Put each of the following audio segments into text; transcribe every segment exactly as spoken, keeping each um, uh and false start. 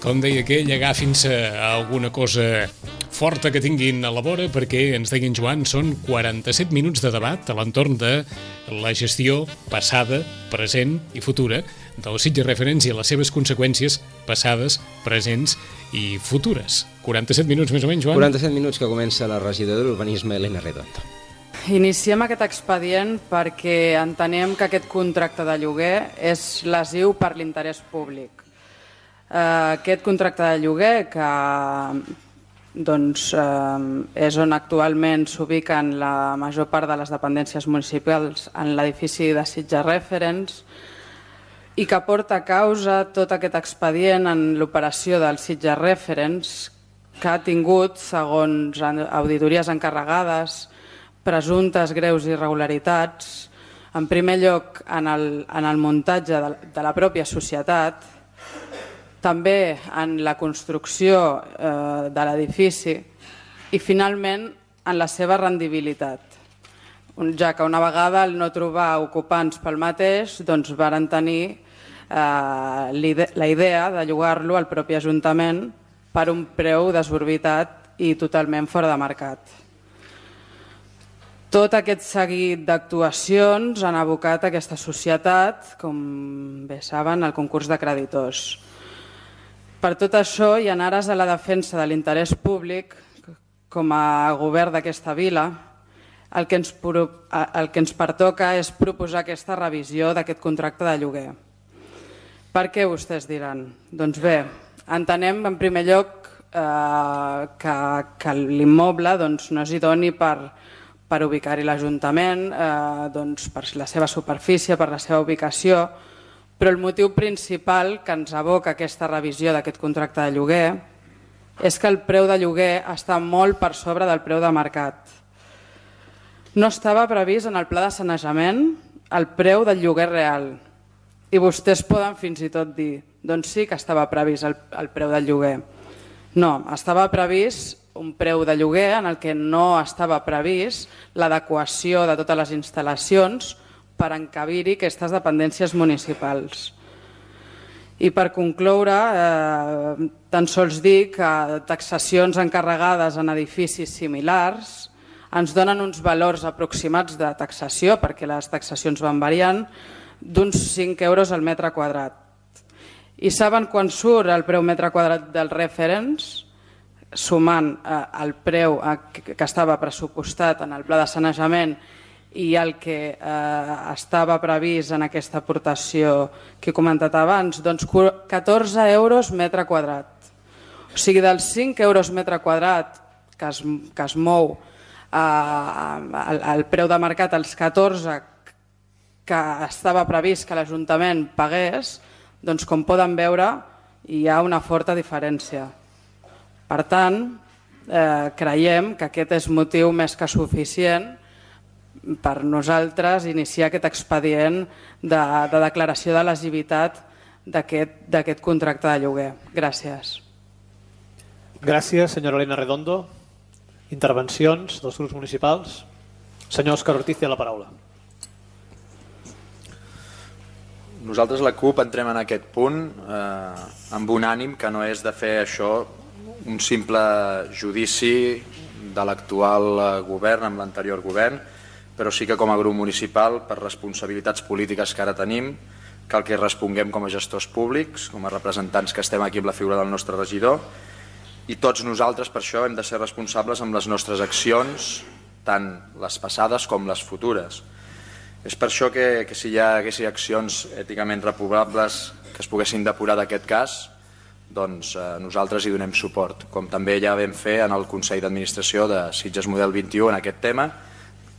com deia aquell, agafin-se a alguna cosa forta que tinguin a la vora, perquè, ens deia en Joan, són quaranta-set minuts de debat a l'entorn de la gestió passada, present i futura del Sitges Referents i les seves conseqüències passades, presents i futures. quaranta-set minuts més o menys, Joan? quaranta-set minuts que comença la regidora d'Urbanisme, Elena Redondo. Iniciem aquest expedient perquè entenem que aquest contracte de lloguer és lesiu per l'interès públic. Aquest contracte de lloguer, que doncs, és on actualment s'ubiquen la major part de les dependències municipals en l'edifici de Sitges Referents i que porta a causa tot aquest expedient en l'operació del Sitges Referents, que ha tingut, segons auditories encarregades, presumptes greus irregularitats, en primer lloc en el, en el muntatge de, de la pròpia societat, també en la construcció eh, de l'edifici i finalment en la seva rendibilitat, ja que una vegada al no trobar ocupants pel mateix, doncs varen tenir eh, la idea de llogar-lo al propi Ajuntament per un preu desorbitat i totalment fora de mercat. Tot aquest seguit d'actuacions han abocat aquesta societat, com bé saben, al concurs de creditors. Per tot això, i en ares a la defensa de l'interès públic, com a govern d'aquesta vila, el que, ens, el que ens pertoca és proposar aquesta revisió d'aquest contracte de lloguer. Per què, vostès diran? Doncs bé, entenem en primer lloc eh, que, que l'immoble doncs, no és idoni per, per ubicar-hi l'Ajuntament, eh, doncs, per la seva superfície, per la seva ubicació, però el motiu principal que ens aboca aquesta revisió d'aquest contracte de lloguer és que el preu de lloguer està molt per sobre del preu de mercat. No estava previst en el pla de sanejament el preu del lloguer real i vostès poden fins i tot dir doncs sí que estava previst el, el preu del lloguer. No, estava previst un preu de lloguer en el que no estava previst l'adequació de totes les instal·lacions per encabir-hi aquestes dependències municipals. I per concloure, eh, tan sols dir que taxacions encarregades en edificis similars ens donen uns valors aproximats de taxació, perquè les taxacions van variant, d'uns cinc euros al metre quadrat. I saben quan surt el preu metre quadrat dels referents? Sumant eh, el preu eh, que estava pressupostat en el pla de sanejament i el que eh, estava previst en aquesta aportació que he comentat abans, doncs catorze euros metre quadrat. O sigui, dels cinc euros metre quadrat que es, que es mou eh, el, el preu de mercat, els catorze que estava previst que l'Ajuntament pagués, doncs com poden veure hi ha una forta diferència. Per tant, eh, creiem que aquest és motiu més que suficient per nosaltres iniciar aquest expedient de, de declaració de lesivitat d'aquest contracte de lloguer. Gràcies. Gràcies, senyora Elena Redondo. Intervencions dels grups municipals. Senyor Òscar Ortiz, té la paraula. Nosaltres, la CUP, entrem en aquest punt eh, amb un ànim que no és de fer això un simple judici de l'actual govern amb l'anterior govern, però sí que com a grup municipal, per responsabilitats polítiques que ara tenim, cal que responguem com a gestors públics, com a representants que estem aquí amb la figura del nostre regidor, i tots nosaltres per això hem de ser responsables amb les nostres accions, tant les passades com les futures. És per això que, que si hi haguessin accions èticament reprovables que es poguessin depurar d'aquest cas, doncs eh, nosaltres hi donem suport, com també ja vam fer en el Consell d'Administració de Sitges Model vint i u en aquest tema,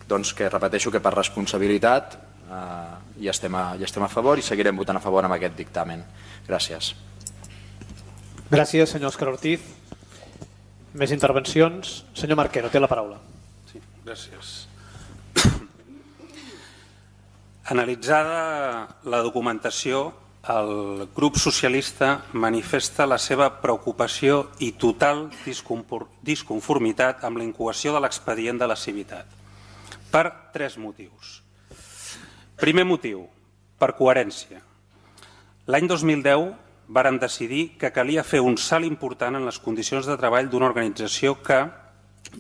doncs que repeteixo que per responsabilitat eh, hi, estem a, hi estem a favor i seguirem votant a favor amb aquest dictamen. Gràcies. Gràcies, senyor Òscar Ortiz. Més intervencions. Senyor Marquero, té la paraula. Sí, gràcies. Analitzada la documentació, el grup socialista manifesta la seva preocupació i total disconformitat amb la incoació de l'expedient de lesivitat. Per tres motius. Primer motiu, per coherència. L'any dos mil deu vàrem decidir que calia fer un salt important en les condicions de treball d'una organització que,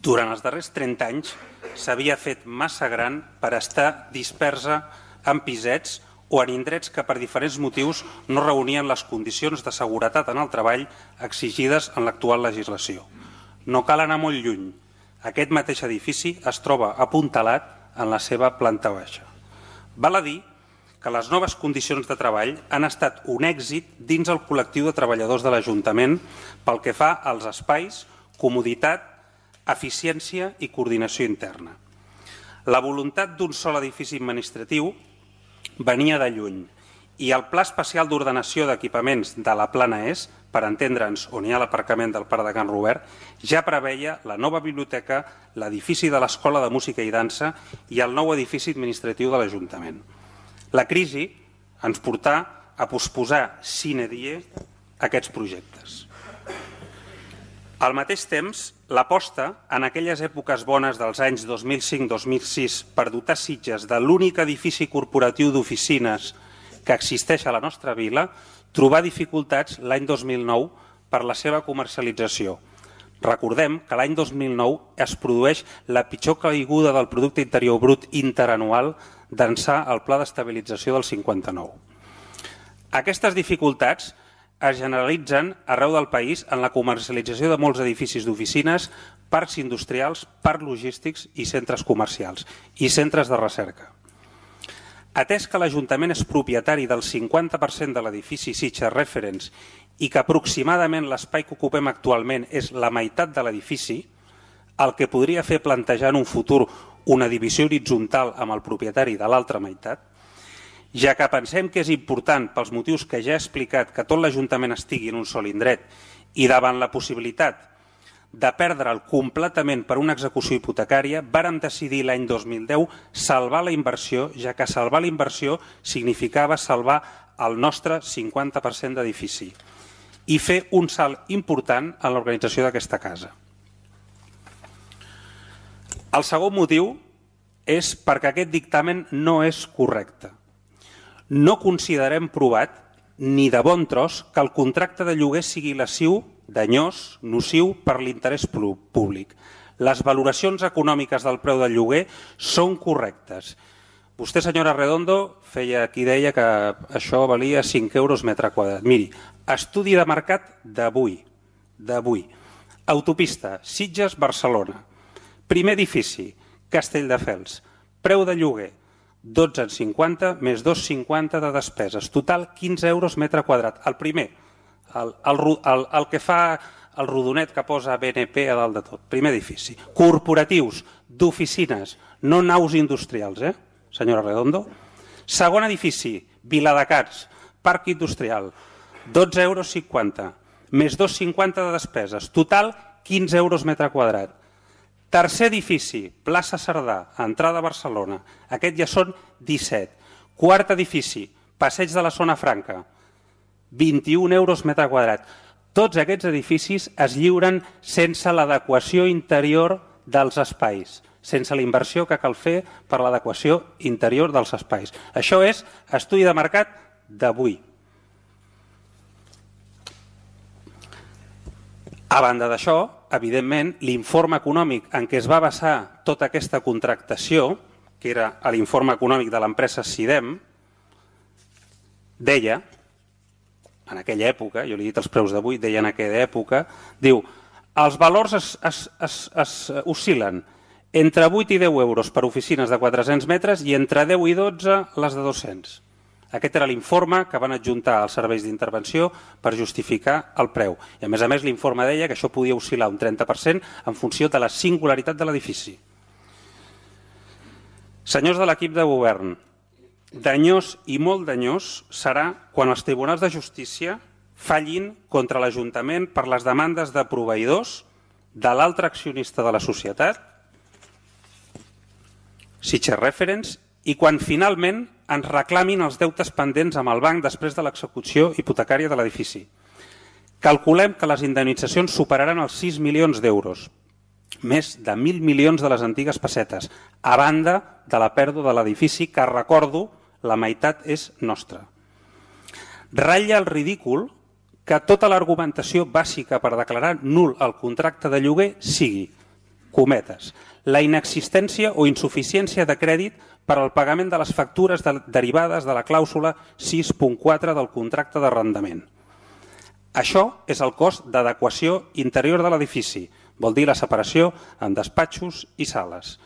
durant els darrers trenta anys, s'havia fet massa gran per estar dispersa en pisets o en indrets que per diferents motius no reunien les condicions de seguretat en el treball exigides en l'actual legislació. No cal anar molt lluny. Aquest mateix edifici es troba apuntalat en la seva planta baixa. Val a dir que les noves condicions de treball han estat un èxit dins el col·lectiu de treballadors de l'Ajuntament pel que fa als espais, comoditat, eficiència i coordinació interna. La voluntat d'un sol edifici administratiu venia de lluny i el Pla Especial d'Ordenació d'Equipaments de la Plana Est, per entendre'ns on hi ha l'aparcament del Parc de Can Robert, ja preveia la nova biblioteca, l'edifici de l'Escola de Música i Dansa i el nou edifici administratiu de l'Ajuntament. La crisi ens portà a posposar sine die aquests projectes. Al mateix temps, l'aposta en aquelles èpoques bones dels anys dos mil cinc dos mil sis per dotar Sitges de l'únic edifici corporatiu d'oficines que existeix a la nostra vila trobà dificultats l'any dos mil nou per la seva comercialització. Recordem que l'any dos mil nou es produeix la pitjor caiguda del producte interior brut interanual d'ençà el Pla d'Estabilització del cinquanta-nou. Aquestes dificultats es generalitzen arreu del país en la comercialització de molts edificis d'oficines, parcs industrials, parcs logístics i centres comercials i centres de recerca. Atès que l'Ajuntament és propietari del cinquanta per cent de l'edifici Sitges Reference i que aproximadament l'espai que ocupem actualment és la meitat de l'edifici, el que podria fer plantejar en un futur una divisió horitzontal amb el propietari de l'altra meitat, ja que pensem que és important pels motius que ja he explicat que tot l'Ajuntament estigui en un sol indret i davant la possibilitat de perdre'l completament per una execució hipotecària, vàrem decidir l'any dos mil deu salvar la inversió, ja que salvar la inversió significava salvar el nostre cinquanta per cent d'edifici i fer un salt important en l'organització d'aquesta casa. El segon motiu és perquè aquest dictamen no és correcte. No considerem provat, ni de bon tros, que el contracte de lloguer sigui lesiu, danyós, nociu per l'interès públic. Les valoracions econòmiques del preu del lloguer són correctes. Vostè, senyora Redondo, feia qui deia que això valia cinc euros metre quadrat. Miri, estudi de mercat d'avui, d'avui. Autopista, Sitges-Barcelona. Primer edifici, Castelldefels. Preu de lloguer, dotze coma cinquanta més dos coma cinquanta de despeses. Total, quinze euros metre quadrat. El primer, el, el, el, el que fa el rodonet que posa B N P a dalt de tot. Primer edifici. Corporatius, d'oficines, no naus industrials, eh, senyora Redondo? Segon edifici, Viladecans, parc industrial, dotze euros cinquanta, més dos coma cinquanta de despeses. Total, quinze euros metre quadrat. Tercer edifici, plaça Cerdà, entrada a Barcelona. Aquest ja són disset. Quart edifici, passeig de la Zona Franca, vint-i-un euros metre quadrat. Tots aquests edificis es lliuren sense l'adequació interior dels espais, sense la inversió que cal fer per l'adequació interior dels espais. Això és estudi de mercat d'avui. A banda d'això, evidentment, l'informe econòmic en què es va basar tota aquesta contractació, que era l'informe econòmic de l'empresa Sidem, deia, en aquella època, jo li he dit els preus d'avui, deia en aquella època, diu, els valors es, es, es, es oscil·len entre vuit i deu euros per oficines de quatre-cents metres i entre deu i dotze les de dos-cents. Aquest era l'informe que van adjuntar als serveis d'intervenció per justificar el preu. I a més a més l'informe deia que això podia oscil·lar un trenta per cent en funció de la singularitat de l'edifici. Senyors de l'equip de govern, danyós i molt danyós serà quan els tribunals de justícia fallin contra l'Ajuntament per les demandes de proveïdors de l'altre accionista de la societat, Sitges Reference, i quan finalment ens reclamin els deutes pendents amb el banc després de l'execució hipotecària de l'edifici. Calculem que les indemnitzacions superaran els sis milions d'euros, més de mil milions de les antigues pessetes, a banda de la pèrdua de l'edifici, que recordo, la meitat és nostra. Ratlla el ridícul que tota l'argumentació bàsica per declarar nul el contracte de lloguer sigui, cometes, la inexistència o insuficiència de crèdit per al pagament de les factures de, derivades de la clàusula sis punt quatre del contracte d'arrendament. Això és el cost d'adequació interior de l'edifici, vol dir la separació en despatxos i sales,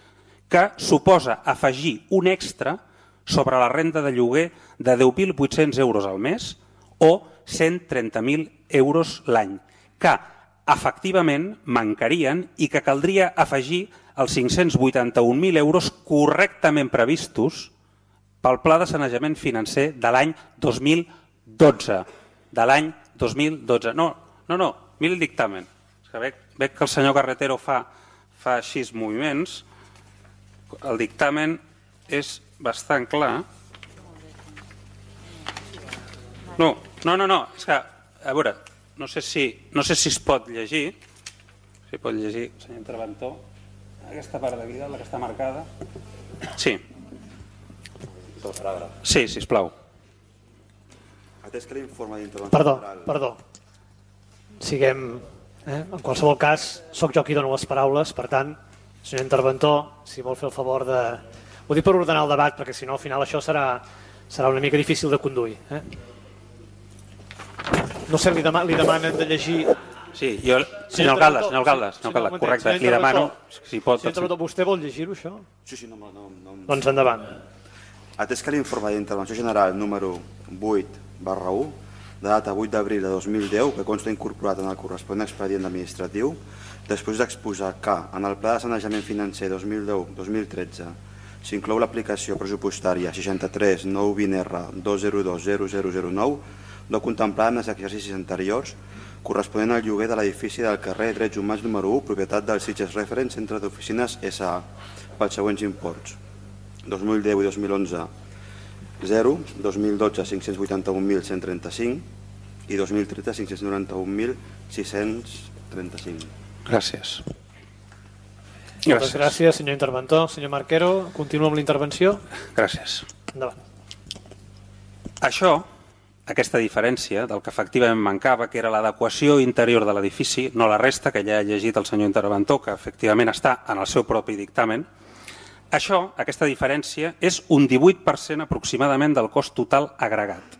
que suposa afegir un extra sobre la renda de lloguer de deu mil vuit-cents euros al mes o cent trenta mil euros l'any, que efectivament mancarien i que caldria afegir els cinc-cents vuitanta-un mil euros correctament previstos pel Pla de Sanejament Financer de l'any dos mil dotze. De l'any dos mil dotze. No, no, no, mira el dictamen. És que veig, veig que el senyor Carretero fa, fa així moviments. El dictamen és bastant clar. No, no, no, no, és que, a veure, no sé si, no sé si es pot llegir, si pot llegir, senyor interventor, aquesta part d'aquí, la que està marcada. Sí. Sí, sisplau. Atès que l'informe d'intervenció... Perdó, perdó. Siguem... Eh? En qualsevol cas, sóc jo qui dono les paraules, per tant, senyor interventor, si vol fer el favor de... Ho dic per ordenar el debat, perquè si no al final això serà, serà una mica difícil de conduir. Eh? No sé, li, dema, li demanen de llegir... Sí, jo... Senyor alcalde, senyor alcalde, senyor alcalde, correcte, li demano si pot... Senyor interventor, vostè vol llegir-ho, això? Sí, sí, no, no, no... Doncs endavant. Atès que l'informe d'intervenció general número vuit barra u, de data vuit d'abril de dos mil deu, que consta incorporat en el corresponent expedient administratiu, després d'exposar que en el Pla de Sanejament Financer dos mil deu dos mil tretze s'inclou l'aplicació pressupostària seixanta-tres nou vint R dos zero dos zero zero zero nou, no contemplada en els exercicis anteriors, corresponent al lloguer de l'edifici del carrer Drets Humans número u, propietat del Sitges Reference Centre d'Oficines S A, pels següents imports: dos mil deu i dos mil onze, zero, dos mil dotze, cinc-cents vuitanta-un mil cent trenta-cinc i dos mil tretze, cinc-cents noranta-un mil sis-cents trenta-cinc. Gràcies. Moltes gràcies, senyor interventor. Senyor Marquero, continua amb la intervenció. Gràcies. Endavant. Això, aquesta diferència del que efectivament mancava, que era l'adequació interior de l'edifici, no la resta, que ja ha llegit el senyor interventor, que efectivament està en el seu propi dictamen, això, aquesta diferència, és un divuit per cent aproximadament del cost total agregat.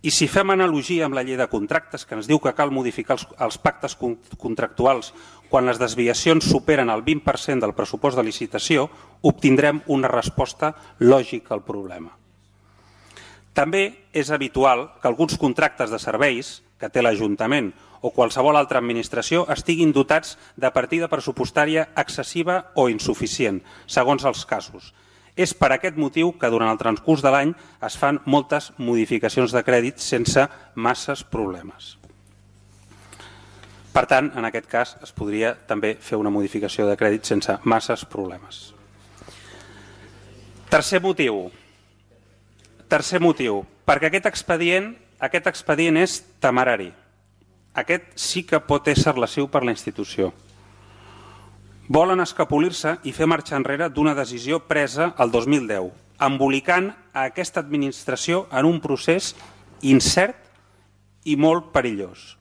I si fem analogia amb la llei de contractes, que ens diu que cal modificar els, els pactes contractuals quan les desviacions superen el vint per cent del pressupost de licitació, obtindrem una resposta lògica al problema. També és habitual que alguns contractes de serveis que té l'Ajuntament o qualsevol altra administració estiguin dotats de partida pressupostària excessiva o insuficient, segons els casos. És per aquest motiu que durant el transcurs de l'any es fan moltes modificacions de crèdit sense masses problemes. Per tant, en aquest cas es podria també fer una modificació de crèdit sense masses problemes. Tercer motiu. Tercer motiu, perquè aquest expedient, aquest expedient és temerari. Aquest sí que pot ésser lesiu per la institució. Volen escapolir-se i fer marxa enrere d'una decisió presa el dos mil deu, embolicant a aquesta administració en un procés incert i molt perillós.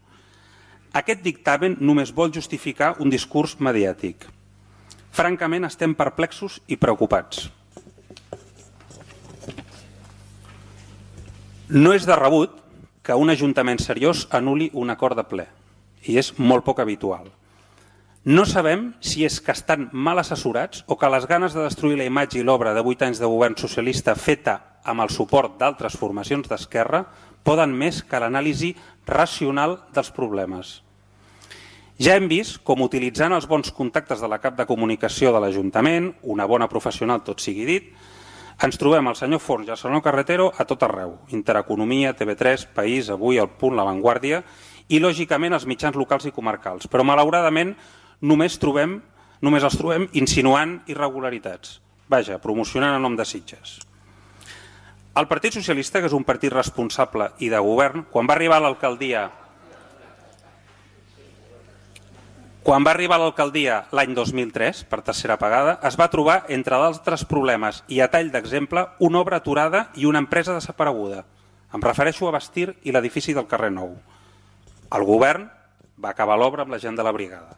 Aquest dictamen només vol justificar un discurs mediàtic. Francament, estem perplexos i preocupats. No és de rebut que un ajuntament seriós anul·li un acord de ple, i és molt poc habitual. No sabem si és que estan mal assessorats o que les ganes de destruir la imatge i l'obra de vuit anys de govern socialista feta amb el suport d'altres formacions d'esquerra poden més que l'anàlisi racional dels problemes. Ja hem vist com utilitzant els bons contactes de la cap de comunicació de l'Ajuntament, una bona professional tot sigui dit, ens trobem el senyor Forns i el senyor Carretero a tot arreu, Intereconomia, T V tres, País, Avui, El Punt, La Vanguardia i lògicament els mitjans locals i comarcals, però malauradament només trobem, només els trobem insinuant irregularitats. Vaja, promocionant en nom de Sitges. El Partit Socialista, que és un partit responsable i de govern, quan va arribar a l'alcaldia Quan va arribar a l'alcaldia l'any dos mil tres, per tercera vegada, es va trobar, entre d'altres problemes i a tall d'exemple, una obra aturada i una empresa desapareguda. Em refereixo a Bastir i l'edifici del carrer Nou. El govern va acabar l'obra amb la gent de la brigada.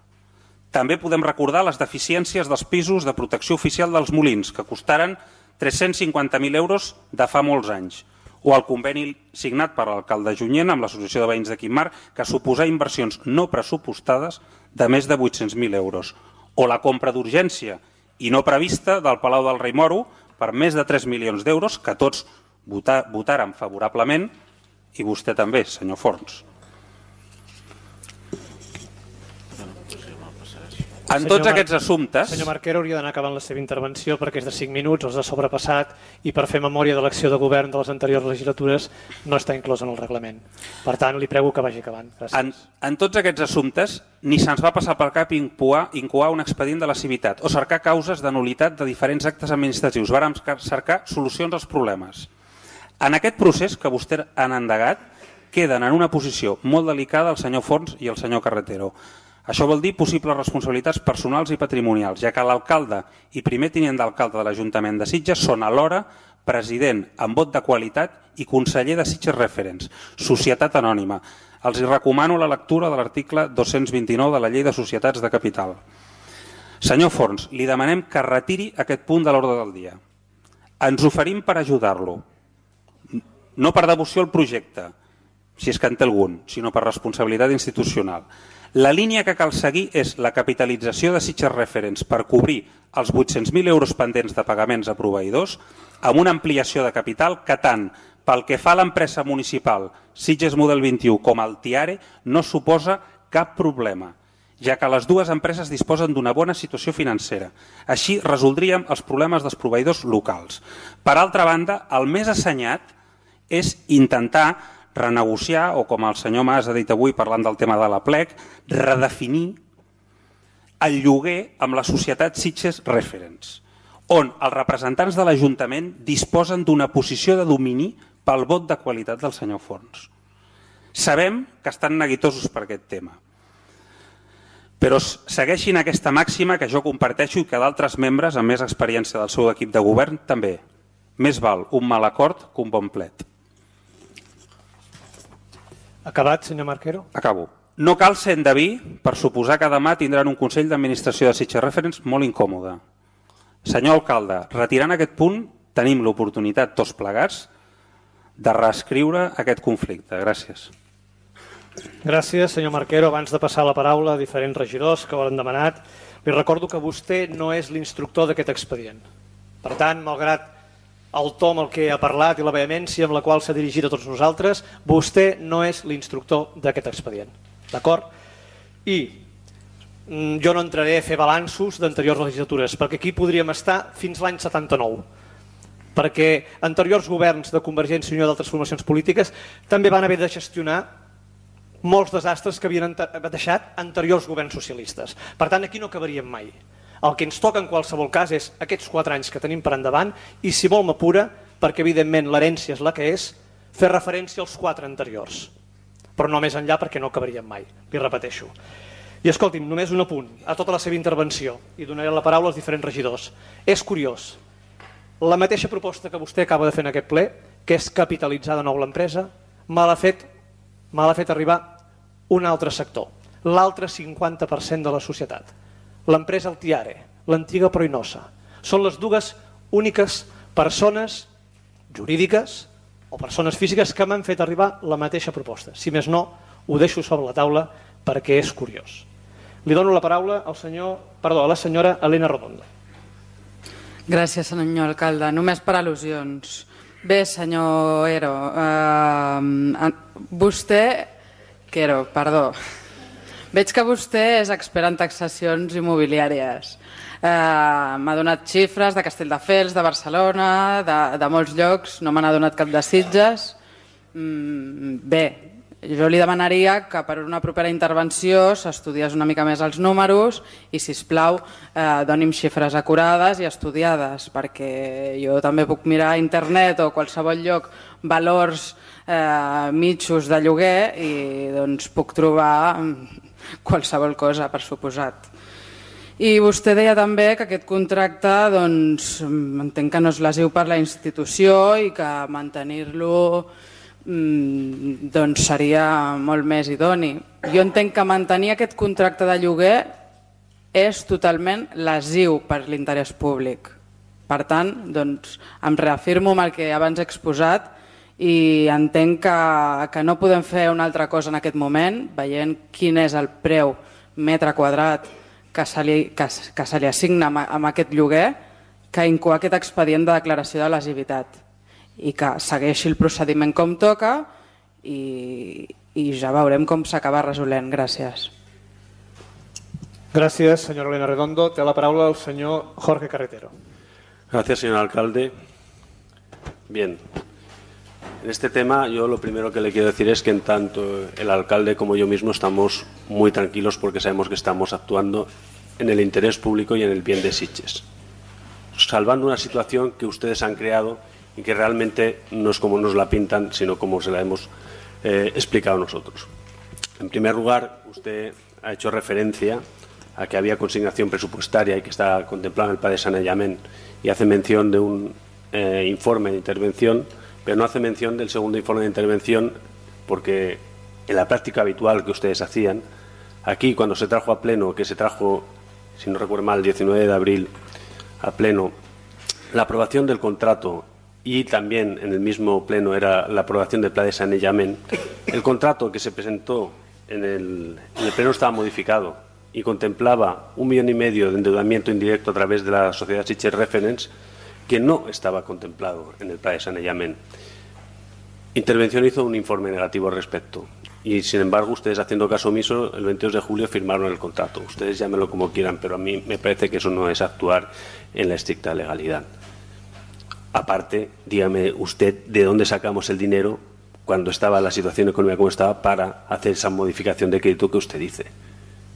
També podem recordar les deficiències dels pisos de protecció oficial dels Molins, que costaren tres-cents cinquanta mil euros de fa molts anys, o el conveni signat per l'alcalde Junyent amb l'Associació de Veïns de Quimar, que suposa inversions no pressupostades de més de vuit-cents mil euros, o la compra d'urgència i no prevista del Palau del Rei Moro per més de tres milions d'euros, que tots votaren favorablement, i vostè també, senyor Forns. En tots senyor aquests assumptes... Senyor Marquero hauria d'anar acabant la seva intervenció perquè és de cinc minuts, els ha sobrepassat i per fer memòria de l'acció de govern de les anteriors legislatures no està inclòs en el reglament. Per tant, li prego que vagi acabant. Gràcies. En, en tots aquests assumptes ni se'ns va passar per cap incoar, incoar un expedient de la civitat o cercar causes de nul·litat de diferents actes administratius. Vàrem cercar solucions als problemes. En aquest procés que vostès han endegat queden en una posició molt delicada el senyor Forns i el senyor Carretero. Això vol dir possibles responsabilitats personals i patrimonials, ja que l'alcalde i primer tinent d'alcalde de l'Ajuntament de Sitges són alhora president amb vot de qualitat i conseller de Sitges Referents, societat anònima. Els hi recomano la lectura de l'article dos-cents vint-i-nou de la Llei de Societats de Capital. Senyor Forns, li demanem que retiri aquest punt de l'ordre del dia. Ens oferim per ajudar-lo, no per devoció al projecte, si és que en té algun, sinó per responsabilitat institucional. La línia que cal seguir és la capitalització de Sitges Referents per cobrir els vuit-cents mil euros pendents de pagaments a proveïdors amb una ampliació de capital que tant pel que fa a l'empresa municipal Sitges Model vint-i-u com al Tiare no suposa cap problema, ja que les dues empreses disposen d'una bona situació financera. Així resoldríem els problemes dels proveïdors locals. Per altra banda, el més assenyat és intentar renegociar, o com el senyor Mas ha dit avui parlant del tema de la plec, redefinir el lloguer amb la societat Sitges Referents, on els representants de l'Ajuntament disposen d'una posició de domini pel vot de qualitat del senyor Forns. Sabem que estan neguitosos per aquest tema, però segueixin aquesta màxima que jo comparteixo i que d'altres membres amb més experiència del seu equip de govern també. Més val un mal acord que un bon plet. Acabat, senyor Marquero? Acabo. No cal ser endeví per suposar que demà tindran un Consell d'Administració de Sitges Referents molt incòmode. Senyor alcalde, retirant aquest punt tenim l'oportunitat tots plegats de reescriure aquest conflicte. Gràcies. Gràcies, senyor Marquero. Abans de passar la paraula a diferents regidors que ho han demanat, li recordo que vostè no és l'instructor d'aquest expedient. Per tant, malgrat el to amb el que ha parlat i la vehemència amb la qual s'ha dirigit a tots nosaltres, vostè no és l'instructor d'aquest expedient. D'acord? I jo no entraré a fer balanços d'anteriors legislatures, perquè aquí podríem estar fins l'any setanta-nou, perquè anteriors governs de Convergència i Unió i d'altres formacions polítiques també van haver de gestionar molts desastres que havien deixat anteriors governs socialistes. Per tant, aquí no acabaríem mai. El que ens toca en qualsevol cas és aquests quatre anys que tenim per endavant i, si vol m'apura, perquè evidentment l'herència és la que és, fer referència als quatre anteriors. Però no més enllà perquè no acabaríem mai, li repeteixo. I escolti'm, només un apunt a tota la seva intervenció i donaré la paraula als diferents regidors. És curiós, la mateixa proposta que vostè acaba de fer en aquest ple, que és capitalitzar de nou l'empresa, me l'ha fet, me l'ha fet arribar un altre sector, l'altre cinquanta per cent de la societat. L'empresa El Tiare, l'antiga Proinosa. Són les dues úniques persones jurídiques o persones físiques que m'han fet arribar la mateixa proposta. Si més no, ho deixo sobre la taula perquè és curiós. Li dono la paraula al senyor, perdó, a la senyora Elena Rodon. Gràcies, senyor alcalde. Només per al·lusions. Bé, senyor Ero, eh, vostè... Quero, perdó. Veig que vostè és expert en taxacions immobiliàries. Eh, m'ha donat xifres de Castelldefels, de Barcelona, de, de molts llocs, no me n'ha donat cap de Sitges. Mm, bé, jo li demanaria que per una propera intervenció s'estudiés una mica més els números i, sisplau, eh, doni'm xifres acurades i estudiades, perquè jo també puc mirar a internet o a qualsevol lloc valors eh, mitjos de lloguer i doncs, puc trobar qualsevol cosa, per suposat. I vostè deia també que aquest contracte, doncs, entenc que no és lesiu per la institució i que mantenir-lo doncs seria molt més idoni. Jo entenc que mantenir aquest contracte de lloguer és totalment lesiu per l'interès públic. Per tant, doncs, em reafirmo amb el que abans he exposat i entenc que, que no podem fer una altra cosa en aquest moment, veient quin és el preu metre quadrat que se li, que, que se li assigna amb, amb aquest lloguer, que incoar aquest expedient de declaració de lesivitat i que segueixi el procediment com toca i, i ja veurem com s'acaba resolent. Gràcies. Gracias, señora Elena Redondo. Té la palabra el señor Jorge Carretero. Gracias, señor alcalde. Bien, en este tema yo lo primero que le quiero decir es que en tanto el alcalde como yo mismo estamos muy tranquilos porque sabemos que estamos actuando en el interés público y en el bien de Sitges, salvando una situación que ustedes han creado y que realmente no es como nos la pintan, sino como se la hemos eh, explicado nosotros. En primer lugar, usted ha hecho referencia a que había consignación presupuestaria y que está contemplado en el plan de saneamiento y hace mención de un eh, informe de intervención, pero no hace mención del segundo informe de intervención porque en la práctica habitual que ustedes hacían, aquí cuando se trajo a pleno, que se trajo, si no recuerdo mal, el diecinueve de abril a pleno, la aprobación del contrato y también en el mismo pleno era la aprobación del plan de saneamiento, el contrato que se presentó en el, en el pleno estaba modificado y contemplaba un millón y medio de endeudamiento indirecto a través de la sociedad Sitges Reference que no estaba contemplado en el plan de saneamiento. Intervención hizo un informe negativo al respecto y, sin embargo, ustedes, haciendo caso omiso, el veintidós de julio firmaron el contrato. Ustedes llámenlo como quieran, pero a mí me parece que eso no es actuar en la estricta legalidad. Aparte, dígame usted de dónde sacamos el dinero cuando estaba la situación económica como estaba para hacer esa modificación de crédito que usted dice.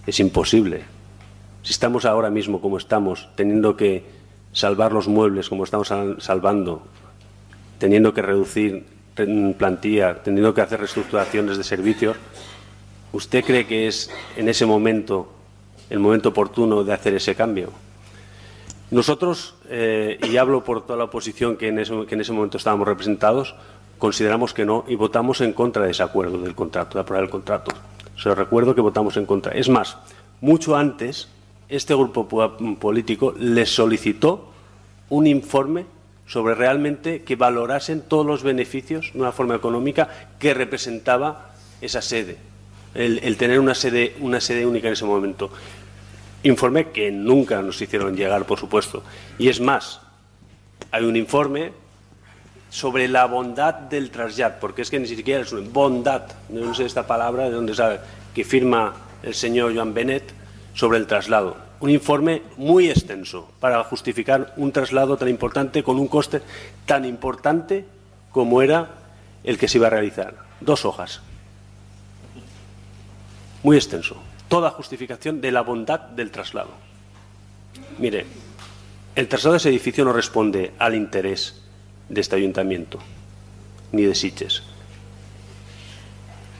Es imposible. Si estamos ahora mismo como estamos, teniendo que salvar los muebles como estamos salvando, teniendo que reducir plantilla, teniendo que hacer reestructuraciones de servicios, ¿usted cree que es en ese momento el momento oportuno de hacer ese cambio? Nosotros, eh, y hablo por toda la oposición que en, ese, que en ese momento estábamos representados, consideramos que no y votamos en contra de ese acuerdo del contrato, de aprobar el contrato. Se lo recuerdo que votamos en contra. Es más, mucho antes, este grupo político les solicitó un informe sobre realmente que valorasen todos los beneficios de una forma económica que representaba esa sede, el, el tener una sede, una sede única en ese momento. Informe que nunca nos hicieron llegar, por supuesto. Y es más, hay un informe sobre la bondad del trasllat, porque es que ni siquiera es una bondad, no sé esta palabra de dónde sabe, que firma el señor Joan Benet sobre el traslado. Un informe muy extenso para justificar un traslado tan importante con un coste tan importante como era el que se iba a realizar. Dos hojas. Muy extenso. Toda justificación de la bondad del traslado. Mire, el traslado de ese edificio no responde al interés de este ayuntamiento, ni de Sitges.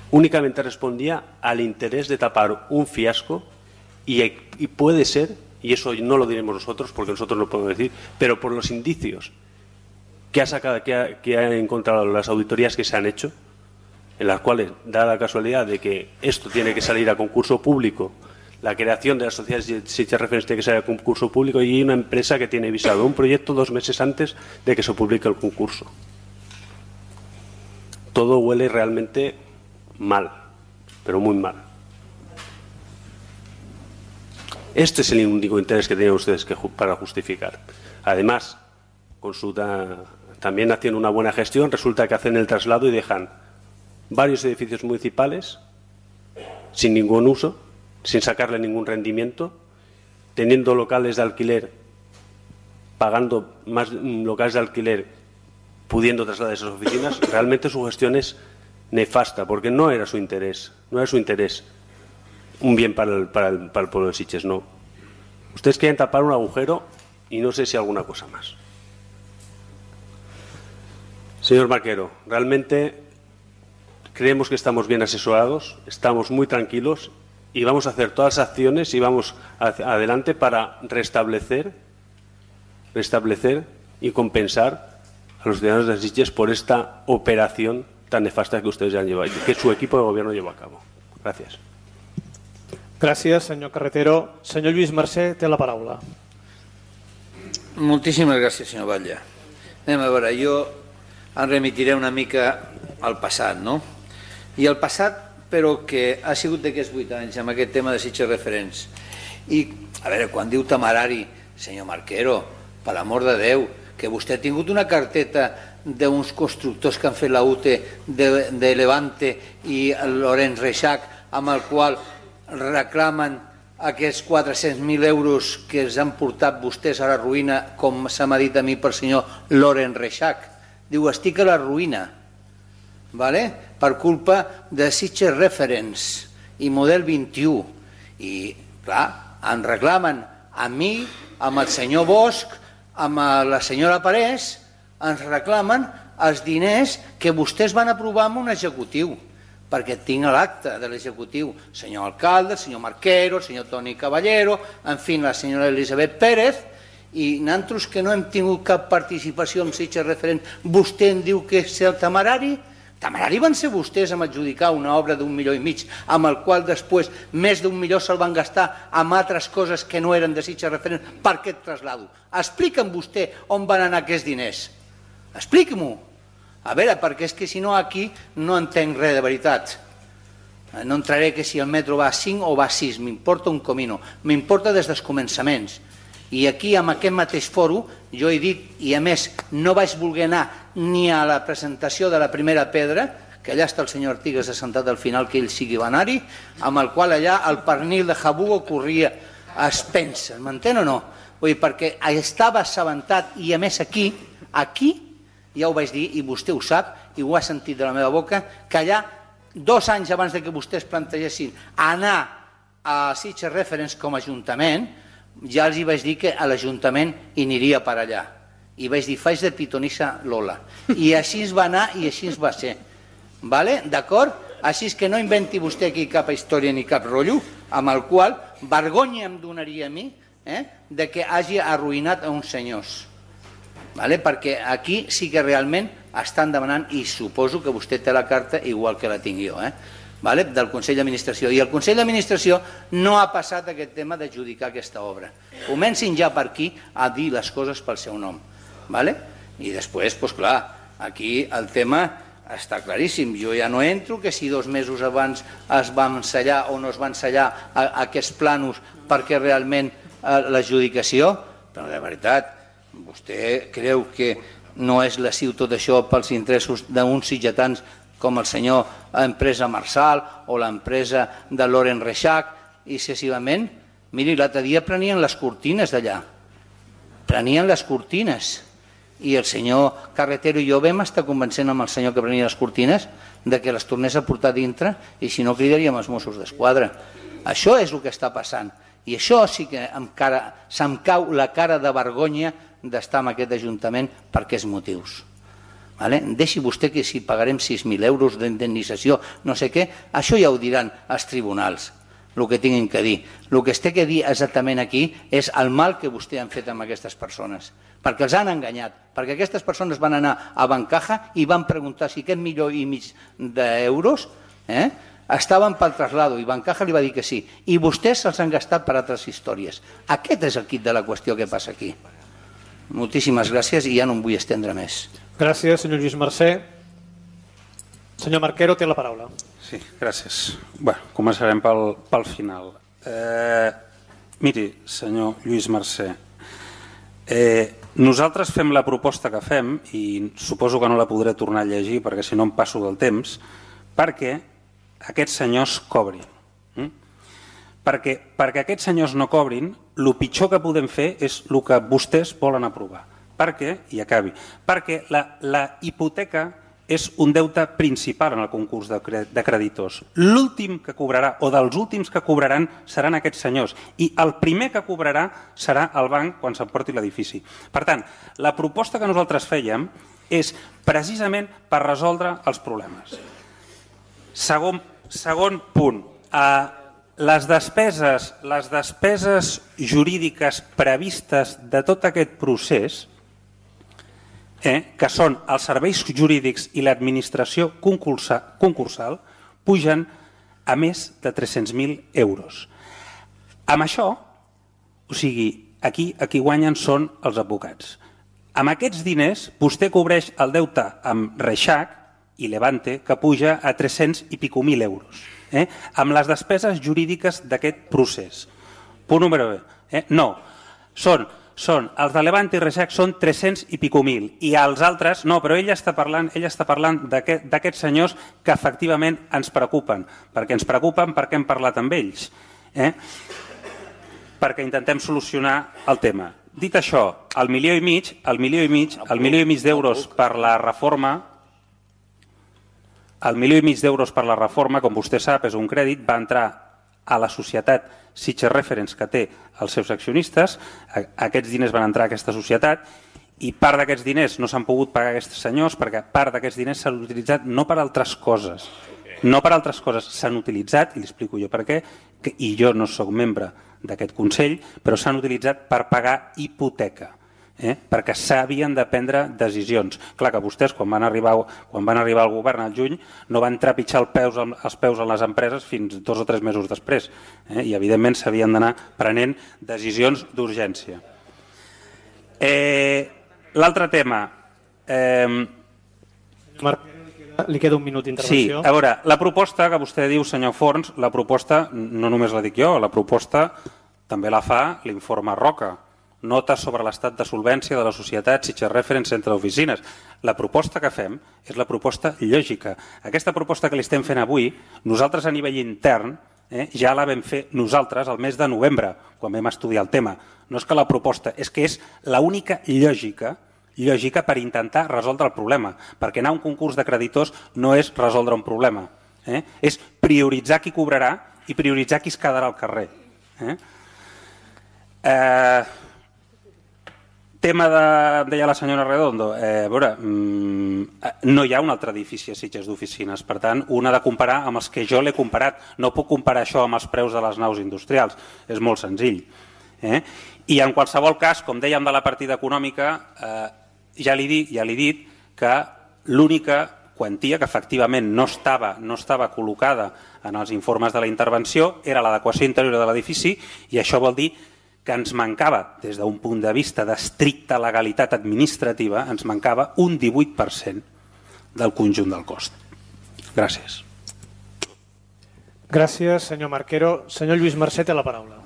Únicamente respondía al interés de tapar un fiasco y, y puede ser, y eso no lo diremos nosotros porque nosotros no podemos decir, pero por los indicios que ha sacado, que ha, que ha encontrado las auditorías que se han hecho, en las cuales da la casualidad de que esto tiene que salir a concurso público, la creación de las sociedades Sitges Reference tiene que salir a concurso público y hay una empresa que tiene visado un proyecto dos meses antes de que se publique el concurso. Todo huele realmente mal, pero muy mal. Este es el único interés que tienen ustedes que, para justificar. Además, con su, también haciendo una buena gestión, resulta que hacen el traslado y dejan varios edificios municipales sin ningún uso, sin sacarle ningún rendimiento, teniendo locales de alquiler, pagando más locales de alquiler, pudiendo trasladar esas oficinas. Realmente su gestión es nefasta, porque no era su interés, no era su interés un bien para el, para el, para el pueblo de Sitges, no. Ustedes quieren tapar un agujero y no sé si alguna cosa más. Señor Marquero, realmente creemos que estamos bien asesorados, estamos muy tranquilos y vamos a hacer todas las acciones y vamos adelante para restablecer, restablecer y compensar a los ciudadanos de Sitges por esta operación tan nefasta que ustedes ya han llevado, que su equipo de gobierno llevó a cabo. Gracias. Gràcies, senyor Carretero. Senyor Lluís Mercè, té la paraula. Moltíssimes gràcies, senyor Batlle. Anem a veure, jo em remitiré una mica al passat, no? I el passat, però que ha sigut d'aquests vuit anys, amb aquest tema de Sitges Referents. I, a veure, quan diu temerari, senyor Marquero, per l'amor de Déu, que vostè ha tingut una carteta d'uns constructors que han fet la U T de, de Levante i Lorenz Reixac, amb el qual reclamen aquests quatre-cents mil euros que els han portat vostès a la ruïna, com se m'ha dit a mi pel senyor Lorenz Reixac. Diu, estic a la ruïna, vale? Per culpa de Sitges Referents i Model vint-i-u. I, clar, em reclamen a mi, amb el senyor Bosch, amb la senyora Parés, ens reclamen els diners que vostès van aprovar amb un executiu, perquè tinc l'acte de l'executiu, senyor alcalde, senyor Marquero, senyor Toni Caballero, en fi, la senyora Elisabet Pérez, i nosaltres que no hem tingut cap participació en Sitges Referent, vostè em diu que és el temerari? Temerari van ser vostès amb adjudicar una obra d'un milió i mig, amb el qual després més d'un milió se'l van gastar amb altres coses que no eren de Sitges Referent per aquest traslado. Explica'm vostè on van anar aquests diners. Expliqui-m'ho. A veure, perquè és que si no aquí no entenc res de veritat. No entraré que si el metro va a cinc o va a sis, m'importa un comino, m'importa des dels començaments. I aquí, amb aquest mateix foro, jo he dit, i a més no vaig voler anar ni a la presentació de la primera pedra, que allà està el senyor Artigas assentat al final, que ell sigui va anar-hi, amb el qual allà el pernil de Jabugo corria a expenses, m'entén o no? Vull dir, perquè estava assabentat, i a més aquí, aquí, ja ho vaig dir, i vostè ho sap, i ho ha sentit de la meva boca, que allà, dos anys abans que vostès plantegessin anar a Sitges Referents com a ajuntament, ja els hi vaig dir que a l'Ajuntament hi aniria per allà. I vaig dir, faig de pitonissa Lola. I així es va anar i així es va ser. D'acord? Així que no inventi vostè aquí cap història ni cap rotllo, amb el qual vergonya em donaria a mi de que hagi arruïnat a uns senyors. Perquè aquí sí que realment estan demanant, i suposo que vostè té la carta igual que la tinc jo, del Consell d'Administració. I el Consell d'Administració no ha passat aquest tema d'adjudicar aquesta obra. Comencin ja per aquí a dir les coses pel seu nom. I després, doncs clar, aquí el tema està claríssim. Jo ja no entro que si dos mesos abans es van ensellar o no es van ensellar aquests plànols perquè realment l'adjudicació, però de veritat, vostè creu que no és lesiu tot això pels interessos d'uns sitgetans com el senyor empresa Marsal o l'empresa de Lorenz Reixac i excessivament? Miri, l'altre dia prenien les cortines d'allà, prenien les cortines i el senyor Carretero i jo vam estar convencent amb el senyor que prenia les cortines de que les tornés a portar dintre i si no cridaríem els Mossos d'Esquadra. Això és el que està passant i això sí que se'm cau la cara de vergonya d'estar en aquest Ajuntament per aquests motius. Deixi vostè que si pagarem sis mil euros d'indemnització, no sé què, això ja ho diran els tribunals, el que tinguin que dir. El que es té que dir exactament aquí és el mal que vostè han fet amb aquestes persones, perquè els han enganyat, perquè aquestes persones van anar a Bancaja i van preguntar si aquest milió i mig d'euros estaven pel traslado i Bancaja li va dir que sí, i vostès se'ls han gastat per altres històries. Aquest és el quid de la qüestió que passa aquí. Moltíssimes gràcies i ja no em vull estendre més. Gràcies, senyor Lluís Mercè. Senyor Marquero, té la paraula. Sí, gràcies. Bé, començarem pel, pel final. Eh, miri, senyor Lluís Mercè, eh, nosaltres fem la proposta que fem i suposo que no la podré tornar a llegir perquè si no em passo del temps, perquè aquests senyors cobrin. Mm? Perquè, perquè aquests senyors no cobrin, el pitjor que podem fer és el que vostès volen aprovar. Per què? I acabi. Perquè la, la hipoteca és un deute principal en el concurs de, de creditors. L'últim que cobrarà, o dels últims que cobraran, seran aquests senyors. I el primer que cobrarà serà el banc quan s'emporti l'edifici. Per tant, la proposta que nosaltres fèiem és precisament per resoldre els problemes. Segon, segon punt. Eh, les despeses, les despeses jurídiques previstes de tot aquest procés eh, que són els serveis jurídics i l'administració concursal, pugen a més de tres-cents mil euros. Amb això, o sigui, aquí, aquí guanyen són els advocats. Amb aquests diners, vostè cobreix el deute amb Reixac i Levante, que puja a tres-cents i pico mil euros, eh? Amb les despeses jurídiques d'aquest procés. Punt número B. Eh? No, són, són, els de Levante i Reixac són tres-cents i pico mil, i els altres, no, però ella està parlant, ella està parlant d'aquests senyors que efectivament ens preocupen, perquè ens preocupen perquè hem parlat amb ells, eh? Perquè intentem solucionar el tema. Dit això, el milió i mig, el milió i mig, el milió i mig d'euros per la reforma, el milió i mig d'euros per la reforma, com vostè sap, és un crèdit, va entrar a la societat Sitges Reference, que té els seus accionistes. Aquests diners van entrar a aquesta societat i part d'aquests diners no s'han pogut pagar aquests senyors perquè part d'aquests diners s'han utilitzat no per altres coses, no per altres coses, s'han utilitzat, i li explico jo per què, i jo no soc membre d'aquest Consell, però s'han utilitzat per pagar hipoteca, eh? Perquè s'havien de prendre decisions. Clar que vostès, quan van arribar, quan van arribar al govern al juny, no van trepitjar els peus, els peus en les empreses fins dos o tres mesos després, eh? I evidentment s'havien d'anar prenent decisions d'urgència. Eh, L'altre tema... Eh, Marc, li queda un minut d'intervenció. Sí, a veure, la proposta que vostè diu, senyor Forns, la proposta no només la dic jo, la proposta també la fa l'informe Roca, nota sobre l'estat de solvència de la societat Sitges Reference Centre d'Oficines. La proposta que fem és la proposta lògica. Aquesta proposta que li estem fent avui, nosaltres a nivell intern eh, ja la vam fer nosaltres el mes de novembre, quan vam estudiar el tema. No és que la proposta, és que és l'única lògica lògica per intentar resoldre el problema, perquè anar a un concurs de creditors no és resoldre un problema, eh? És prioritzar qui cobrarà i prioritzar qui es quedarà al carrer. Eh? Eh, tema de, deia la senyora Redondo, eh, a veure, mm, no hi ha un altre edifici a Sitges d'oficines, per tant, un ha de comparar amb els que jo l'he comparat, no puc comparar això amb els preus de les naus industrials, és molt senzill. Eh? I en qualsevol cas, com dèiem de la partida econòmica, eh, ja li dic, ja li he dit que l'única quantia que efectivament no estava, no estava col·locada en els informes de la intervenció era l'adequació interior de l'edifici, i això vol dir que ens mancava, des d'un punt de vista d'estricta legalitat administrativa, ens mancava un divuit per cent del conjunt del cost. Gràcies. Gràcies, senyor Marquero. Senyor Lluís Mercè té la paraula.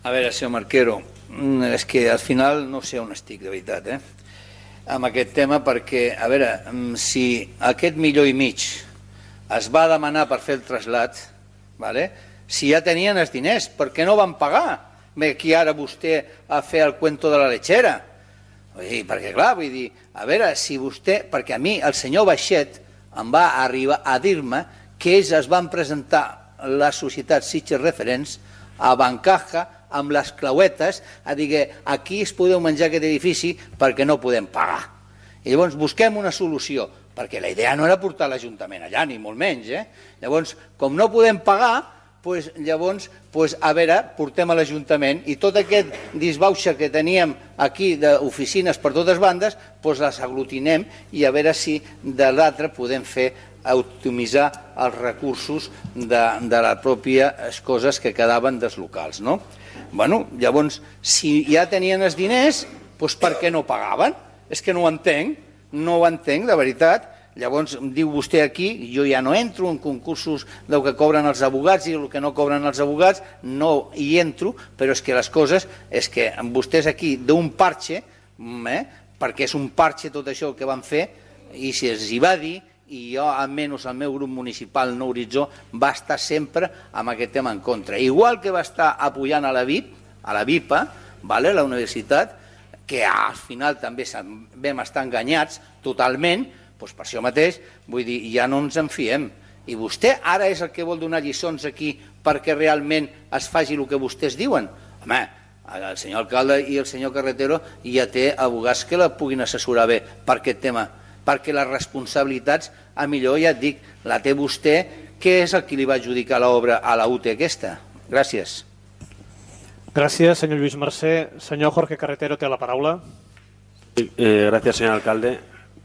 A veure, senyor Marquero, és que al final no sé on estic, de veritat, eh? Amb aquest tema, perquè, a veure, si aquest milió i mig es va demanar per fer el trasllat, vale? Si ja tenien els diners, per què no van pagar? Ve aquí ara vostè a fer el cuento de la lechera. Vull dir, perquè clar, vull dir, a veure, si vostè, perquè a mi el senyor Baixet em va arribar a dir-me que ells es van presentar la societat Sitges Reference a Bancaja amb les clauetes a dir que aquí es podeu menjar aquest edifici perquè no podem pagar. I llavors busquem una solució, perquè la idea no era portar l'Ajuntament allà, ni molt menys. Eh? Llavors, com no podem pagar, pues, llavors, pues, a veure, portem a l'Ajuntament i tot aquest disbauxa que teníem aquí d'oficines per totes bandes, pues, les aglutinem i a veure si de l'altre podem fer optimitzar els recursos de, de les pròpies coses que quedaven dels locals. No? Bueno, llavors, si ja tenien els diners, doncs per què no pagaven? És que no ho entenc, no ho entenc, de veritat. Llavors, diu vostè aquí, jo ja no entro en concursos del que cobren els abogats i el que no cobren els abogats, no hi entro, però és que les coses, és que vostès aquí d'un parche, eh, perquè és un parche tot això que van fer, i si els hi va dir, i jo, almenys el meu grup municipal No Horitzó, va estar sempre amb aquest tema en contra. Igual que va estar apoyant a la V I P, a la VIPA, vale, la universitat, que al final també vam estar enganyats totalment, doncs per això mateix, vull dir, ja no ens en fiem. I vostè ara és el que vol donar lliçons aquí perquè realment es faci el que vostès diuen? Home, el senyor alcalde i el senyor Carretero ja té abogats que la puguin assessorar bé per aquest tema, perquè les responsabilitats, a millor ja et dic, la té vostè, que és el qui li va adjudicar l'obra a la U T E aquesta. Eh, gracias, señor alcalde.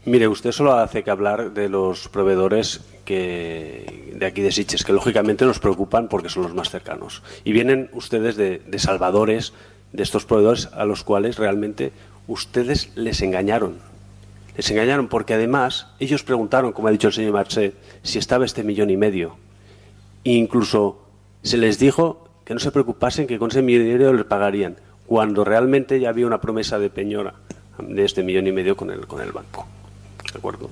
Mire, usted solo hace que hablar de los proveedores que de aquí de Sitges, que lógicamente nos preocupan porque son los más cercanos. Y vienen ustedes de, de salvadores de estos proveedores a los cuales realmente ustedes les engañaron. Les engañaron porque además ellos preguntaron, como ha dicho el señor Marcet, si estaba este millón y medio. E incluso se les dijo que no se preocupasen, que con ese millón y medio les pagarían, cuando realmente ya había una promesa de peñora de este millón y medio con el, con el banco. ¿De acuerdo?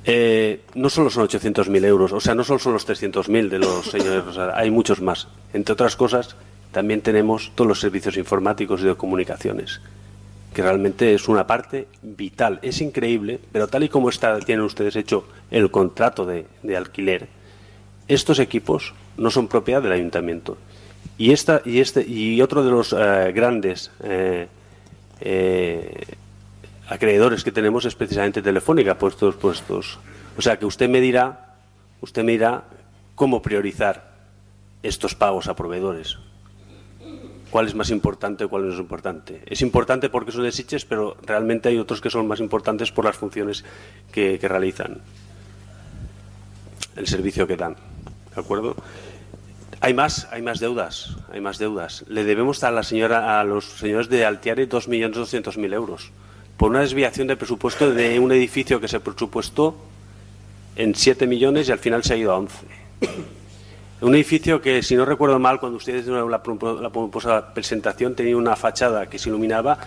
Eh, no solo son ochocientos mil euros, o sea, no solo son los trescientos mil de los señores Rosada, hay muchos más. Entre otras cosas, también tenemos todos los servicios informáticos y de comunicaciones, que realmente es una parte vital. Es increíble, pero tal y como está, tienen ustedes hecho el contrato de, de alquiler, estos equipos no son propiedad del ayuntamiento. Y, esta, y, este, y otro de los eh, grandes eh, eh, acreedores que tenemos es precisamente Telefónica, puestos, puestos. O sea que usted me dirá, usted me dirá cómo priorizar estos pagos a proveedores. ¿Cuál es más importante o cuál no es importante? Es importante porque son de Sitges, pero realmente hay otros que son más importantes por las funciones que, que realizan, el servicio que dan. ¿De acuerdo? Hay más, hay más deudas, hay más deudas. Le debemos a la señora, a los señores de Altiare dos millones doscientos mil euros por una desviación de presupuesto de un edificio que se presupuestó en siete millones y al final se ha ido a once. Un edificio que, si no recuerdo mal, cuando ustedes hicieron la, la pomposa presentación, tenía una fachada que se iluminaba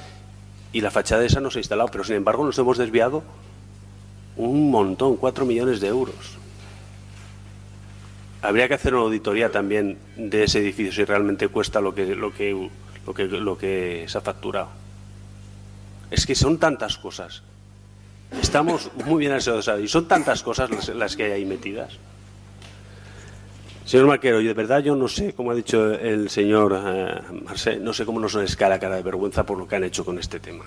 y la fachada esa no se ha instalado, pero sin embargo nos hemos desviado un montón, cuatro millones de euros. Habría que hacer una auditoría también de ese edificio si realmente cuesta lo que, lo que, lo que, lo que se ha facturado. Es que son tantas cosas. Estamos muy bien asesorados y son tantas cosas las, las que hay ahí metidas. Señor Marquero, yo de verdad yo no sé, como ha dicho el señor eh, Marcet, no sé cómo nos les cae la cara de vergüenza por lo que han hecho con este tema.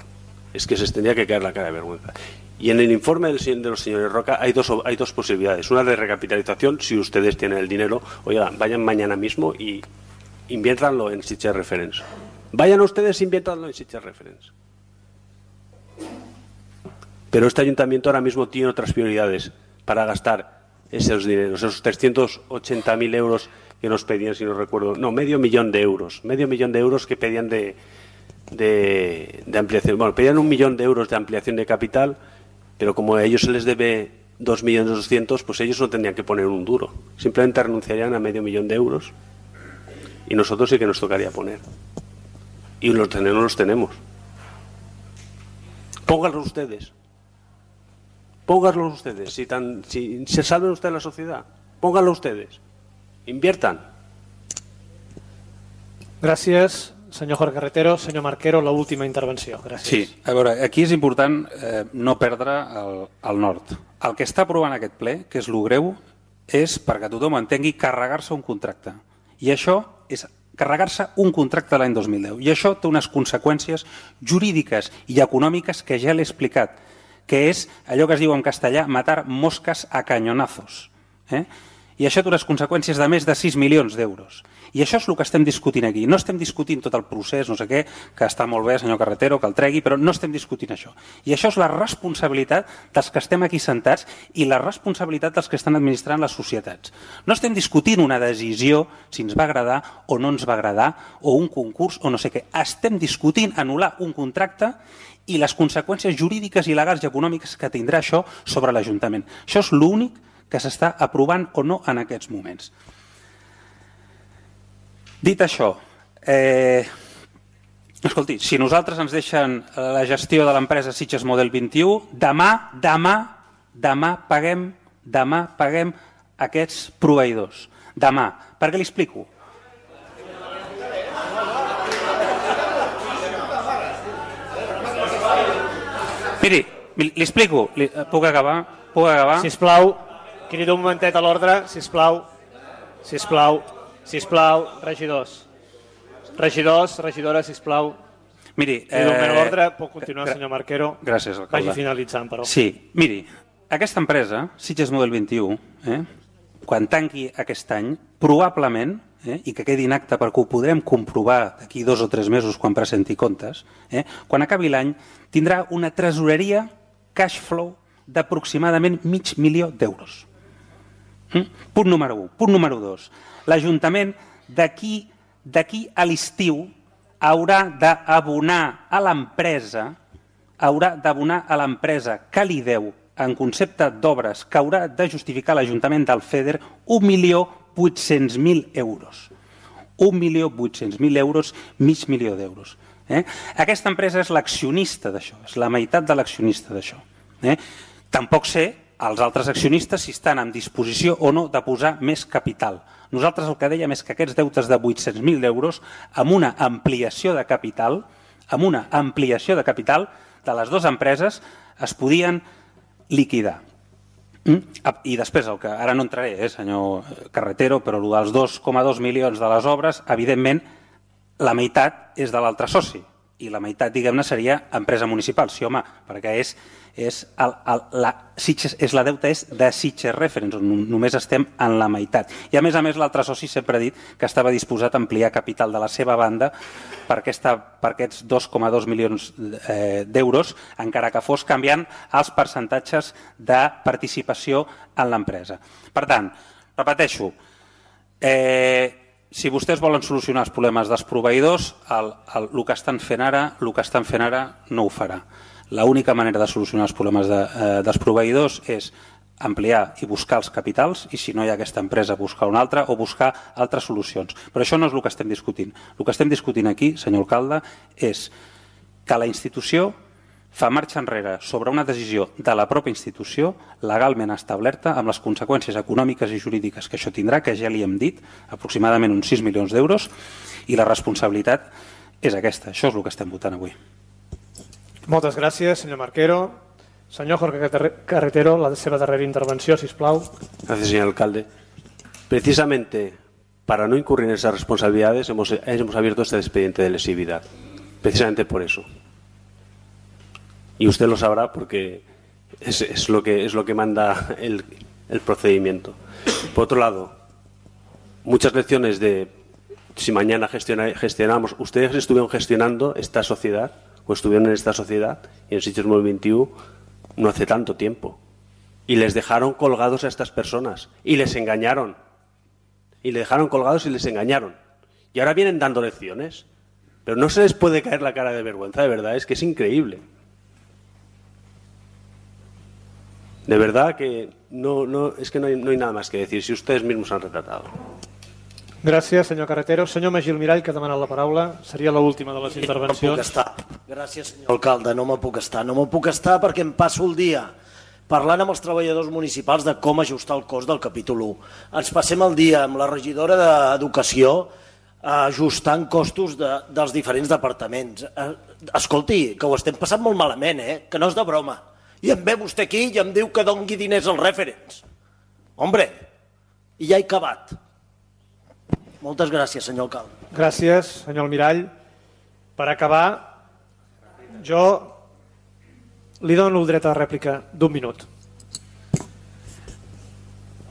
Es que se les tendría que caer la cara de vergüenza. Y en el informe del, de los señores Roca hay dos, hay dos posibilidades. Una de recapitalización, si ustedes tienen el dinero, oigan, vayan mañana mismo y inviértanlo en Sitges Reference. Vayan ustedes e inviértanlo en Sitges Reference. Pero este ayuntamiento ahora mismo tiene otras prioridades para gastar esos dineros, esos trescientos ochenta mil euros que nos pedían, si no recuerdo, no, medio millón de euros, medio millón de euros que pedían de, de, de ampliación. Bueno, pedían un millón de euros de ampliación de capital, pero como a ellos se les debe dos millones doscientos, pues ellos no tendrían que poner un duro. Simplemente renunciarían a medio millón de euros y nosotros sí que nos tocaría poner. Y los tenemos, los tenemos. Pónganlo ustedes. Pónganlo ustedes. Si, tan, si se salven ustedes la sociedad, pónganlo ustedes. Inviertan. Gràcies, senyor Jorge Carretero. Senyor Marquero, l'última intervenció. Gràcies. Sí, a veure, aquí és important eh, no perdre el, el nord. El que està aprovant aquest ple, que és lo greu, és, perquè tothom entengui, carregar-se un contracte. I això és carregar-se un contracte l'any dos mil deu. I això té unes conseqüències jurídiques i econòmiques que ja l'he explicat, que és allò que es diu en castellà matar mosques a canyonazos. Eh? I això té unes conseqüències de més de sis milions d'euros. I això és el que estem discutint aquí. No estem discutint tot el procés, no sé què, que està molt bé, senyor Carretero, que el tregui, però no estem discutint això. I això és la responsabilitat dels que estem aquí sentats i la responsabilitat dels que estan administrant les societats. No estem discutint una decisió, si ens va agradar o no ens va agradar, o un concurs o no sé què. Estem discutint anul·lar un contracte i les conseqüències jurídiques i legals i econòmiques que tindrà això sobre l'Ajuntament. Això és l'únic que s'està aprovant o no en aquests moments. Dit això, eh, escolti, si nosaltres ens deixen la gestió de l'empresa Sitges Model vint-i-u, demà, demà, demà paguem, demà paguem aquests proveïdors. Demà. Per què li explico? Miri, li explico, li, puc acabar? Puc acabar? Sisplau, crido un momentet a l'ordre, sisplau, sisplau, sisplau, regidors. Regidors, regidores, sisplau. Miri, crido un eh, a l'ordre, pot continuar, senyor Marquero. Gràcies, alcalde. Vagi finalitzant, però. Sí, miri, aquesta empresa, Sitges Model vint-i-u, eh, quan tanqui aquest any, probablement eh, i que quedi en acte perquè ho podrem comprovar d'aquí dos o tres mesos quan presenti comptes, eh, quan acabi l'any tindrà una tresoreria cash flow d'aproximadament mig milió d'euros. Mm? Punt número un. Punt número dos. L'Ajuntament d'aquí d'aquí a l'estiu haurà d'abonar a l'empresa haurà d'abonar a l'empresa que li deu en concepte d'obres que haurà de justificar l'Ajuntament del FEDER un milió vuit-cents mil euros. un milió vuit-cents mil euros, mig milió d'euros. Eh? Aquesta empresa és l'accionista d'això, és la meitat de l'accionista d'això. Eh? Tampoc sé els altres accionistes si estan en disposició o no de posar més capital. Nosaltres el que dèiem és que aquests deutes de vuit-cents mil euros amb una ampliació de capital, amb una ampliació de capital de les dues empreses es podien liquidar. I després, el que ara no entraré, eh, senyor Carretero, però el dels dos coma dos milions de les obres, evidentment, la meitat és de l'altre soci i la meitat, diguem-ne, seria empresa municipal. Sí, home, perquè és, és, el, el, la, Sitges, és la deuta és de Sitges Reference, on només estem en la meitat. I a més a més l'altre soci sempre ha dit que estava disposat a ampliar capital de la seva banda per, aquesta, per aquests dos coma dos milions eh, d'euros, encara que fos canviant els percentatges de participació en l'empresa. Per tant, repeteixo, eh, si vostès volen solucionar els problemes dels proveïdors, el, el, el que estan fent ara, el que estan fent ara no ho farà. L'única manera de solucionar els problemes de, eh, dels proveïdors és ampliar i buscar els capitals i si no hi ha aquesta empresa buscar una altra o buscar altres solucions. Però això no és el que estem discutint. El que estem discutint aquí, senyor alcalde, és que la institució fa marxa enrere sobre una decisió de la pròpia institució legalment establerta amb les conseqüències econòmiques i jurídiques que això tindrà, que ja li hem dit, aproximadament uns sis milions d'euros, i la responsabilitat és aquesta. Això és el que estem votant avui. Moltes gràcies, senyor Marquero. Senyor Jorge Carretero, la seva darrera intervenció, si us plau. Gracias, señor alcalde. Precisamente para no incurrir en esas responsabilidades hemos, hemos abierto este expediente de lesividad. Precisamente por eso. Y usted lo sabrá porque es, es, lo, que, es lo que manda el, el procedimiento. Por otro lado, muchas lecciones de si mañana gestiona, gestionamos, ustedes estuvieron gestionando esta sociedad o estuvieron en esta sociedad y en Sitges Mòbil veintiuno no hace tanto tiempo y les dejaron colgados a estas personas y les engañaron y les dejaron colgados y les engañaron y ahora vienen dando lecciones, pero no se les puede caer la cara de vergüenza, de verdad, es que es increíble. De verdad que no, no, es que no hay, no hay nada más que decir, si ustedes mismos han retratado. Gràcies, senyor Carretero. Senyor Magí Almirall, que ha demanat la paraula, seria l'última de les intervencions. No puc estar. Gràcies, senyor alcalde, no me puc estar. No me puc estar perquè em passo el dia parlant amb els treballadors municipals de com ajustar el cost del capítol u. Ens passem el dia amb la regidora d'Educació ajustant costos de, dels diferents departaments. Escolti, que ho estem passant molt malament, eh? Que no és de broma. I em ve vostè aquí i em diu que dongui diners als referents. Hombre, i ja he acabat. Moltes gràcies, senyor alcalde. Gràcies, senyor Almirall. Per acabar, jo li dono el dret a la rèplica d'un minut.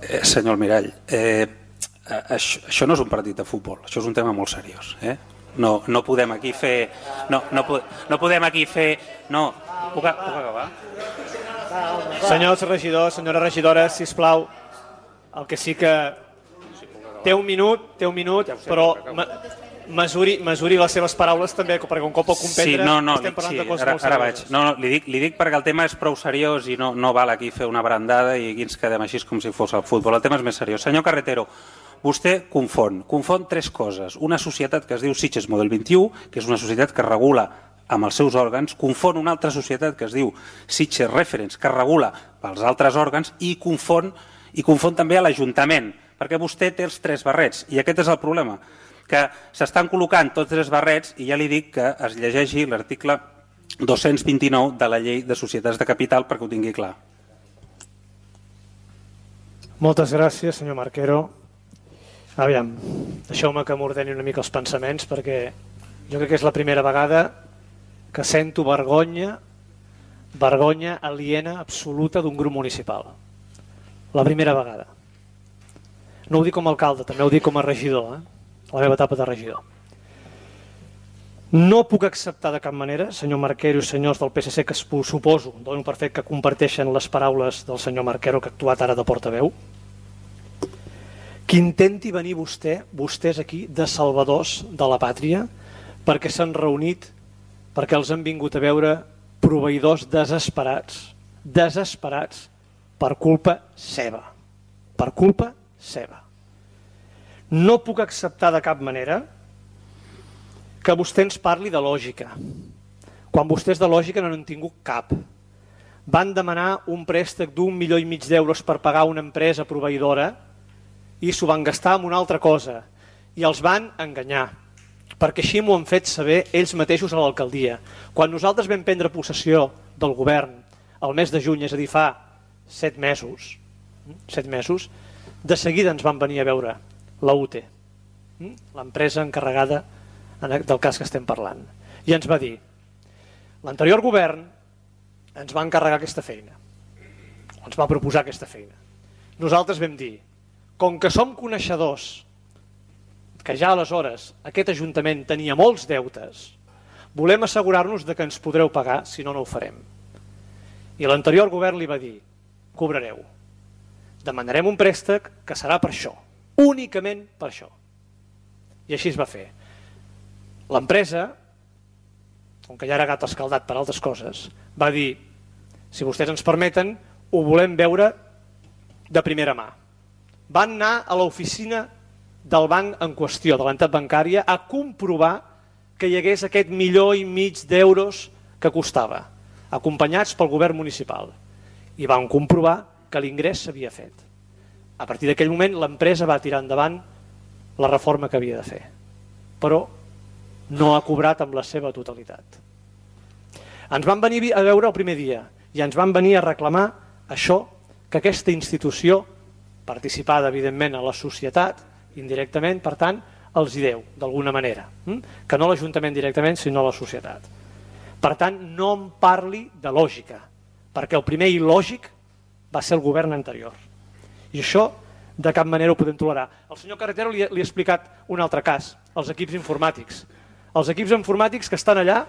Eh, senyor Almirall, eh, això, això no és un partit de futbol, això és un tema molt seriós. Eh? No, no podem aquí fer... No, no, no podem aquí fer... No, puc, puc acabar? Senyors regidors, senyora regidora, sisplau, el que sí que... Té un minut, té un minut, però mesuri, mesuri les seves paraules també, perquè un cop pot comprendre, sí, no, no, estem parlant sí, de coses ara, molt ara serioses. vaig. No, no, li, dic, li dic perquè el tema és prou seriós i no, no val aquí fer una brandada i aquí ens quedem així com si fos el futbol. El tema és més seriós. Senyor Carretero, vostè confon, confon tres coses. Una societat que es diu Sitges Mòbil vint-i-u, que és una societat que regula amb els seus òrgans, confon una altra societat que es diu Sitges Reference, que regula pels altres òrgans, i confon, i confon també a l'Ajuntament, perquè vostè té els tres barrets, i aquest és el problema, que s'estan col·locant tots tres barrets, i ja li dic que es llegeixi l'article dos-cents vint-i-nou de la llei de societats de capital perquè ho tingui clar. Moltes gràcies, senyor Marquero. Aviam, deixeu-me que m'ordeni una mica els pensaments, perquè jo crec que és la primera vegada que sento vergonya, vergonya aliena absoluta d'un grup municipal. La primera vegada. No ho dic com a alcalde, també ho dic com a regidor. Eh? la meva etapa de regidor. No puc acceptar de cap manera, senyor Marquero i senyors del P S C, que suposo, dono per fet que comparteixen les paraules del senyor Marquero, que ha actuat ara de portaveu, que intenti venir vostè, vostès aquí, de salvadors de la pàtria, perquè s'han reunit, perquè els han vingut a veure proveïdors desesperats, desesperats per culpa seva, per culpa seva. No puc acceptar de cap manera que vostè ens parli de lògica, quan vostès de lògica no n'han tingut cap. Van demanar un préstec d'un milió i mig d'euros per pagar una empresa proveïdora i s'ho van gastar en una altra cosa i els van enganyar, perquè així m'ho han fet saber ells mateixos a l'alcaldia. Quan nosaltres vam prendre possessió del govern el mes de juny, és a dir, fa set mesos, set mesos, de seguida ens van venir a veure la U T E, l'empresa encarregada del cas que estem parlant, i ens va dir: l'anterior govern ens va encarregar aquesta feina, ens va proposar aquesta feina. Nosaltres vam dir, com que som coneixedors que ja aleshores aquest Ajuntament tenia molts deutes, volem assegurar-nos de que ens podreu pagar, si no, no ho farem. I l'anterior govern li va dir: cobrareu, demanarem un préstec que serà per això, únicament per això. I així es va fer. L'empresa, com que ja era gat escaldat per altres coses, va dir: si vostès ens permeten, ho volem veure de primera mà. Van anar a l'oficina del banc en qüestió, de l'entitat bancària, a comprovar que hi hagués aquest milió i mig d'euros que costava, acompanyats pel govern municipal. I van comprovar que l'ingrés s'havia fet. A partir d'aquell moment l'empresa va tirar endavant la reforma que havia de fer, però no ha cobrat amb la seva totalitat. Ens van venir a veure el primer dia i ens van venir a reclamar això, que aquesta institució, participada evidentment a la societat, indirectament, per tant, els hi deu, d'alguna manera, que no l'Ajuntament directament, sinó la societat. Per tant, no em parli de lògica, perquè el primer il·lògic va ser el govern anterior. I això de cap manera ho podem tolerar. El senyor Carretero li ha explicat un altre cas, els equips informàtics. Els equips informàtics que estan allà,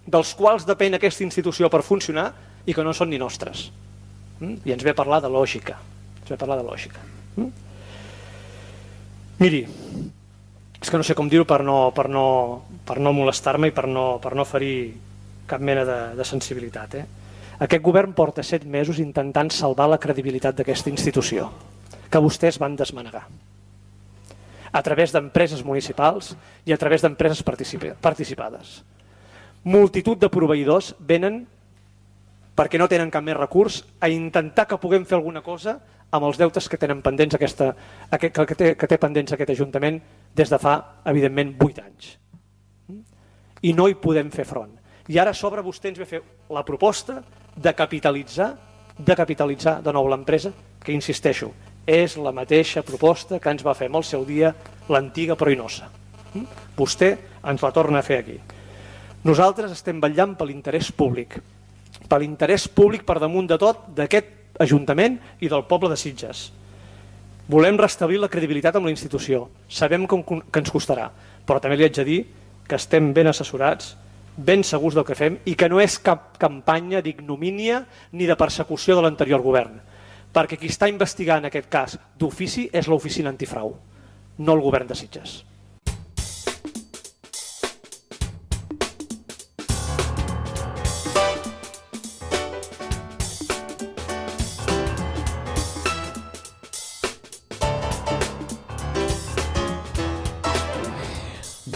dels quals depèn aquesta institució per funcionar i que no són ni nostres. I ens ve a parlar de lògica. Ens ve a parlar de lògica. Miri, és que no sé com dir-ho per no, per no, per no molestar-me i per no, per no ferir cap mena de, de sensibilitat. Eh? Aquest govern porta set mesos intentant salvar la credibilitat d'aquesta institució, que vostès van desmanegar, a través d'empreses municipals i a través d'empreses participades. Multitud de proveïdors venen perquè no tenen cap més recurs a intentar que puguem fer alguna cosa amb els deutes que tenen pendents aquesta, que, té, que té pendents aquest Ajuntament des de fa, evidentment, vuit anys. I no hi podem fer front. I ara a sobre vostè ens ve a fer la proposta de capitalitzar, de capitalitzar de nou l'empresa, que insisteixo, és la mateixa proposta que ens va fer en el seu dia l'antiga Proinosa. Vostè ens la torna a fer aquí. Nosaltres estem vetllant per l'interès públic, per l'interès públic per damunt de tot d'aquest Ajuntament i del poble de Sitges. Volem restablir la credibilitat amb la institució. Sabem que ens costarà, però també li haig de dir que estem ben assessorats, ben segurs del que fem i que no és cap campanya d'ignomínia ni de persecució de l'anterior govern, perquè qui està investigant aquest cas d'ofici és l'oficina antifrau, no el govern de Sitges.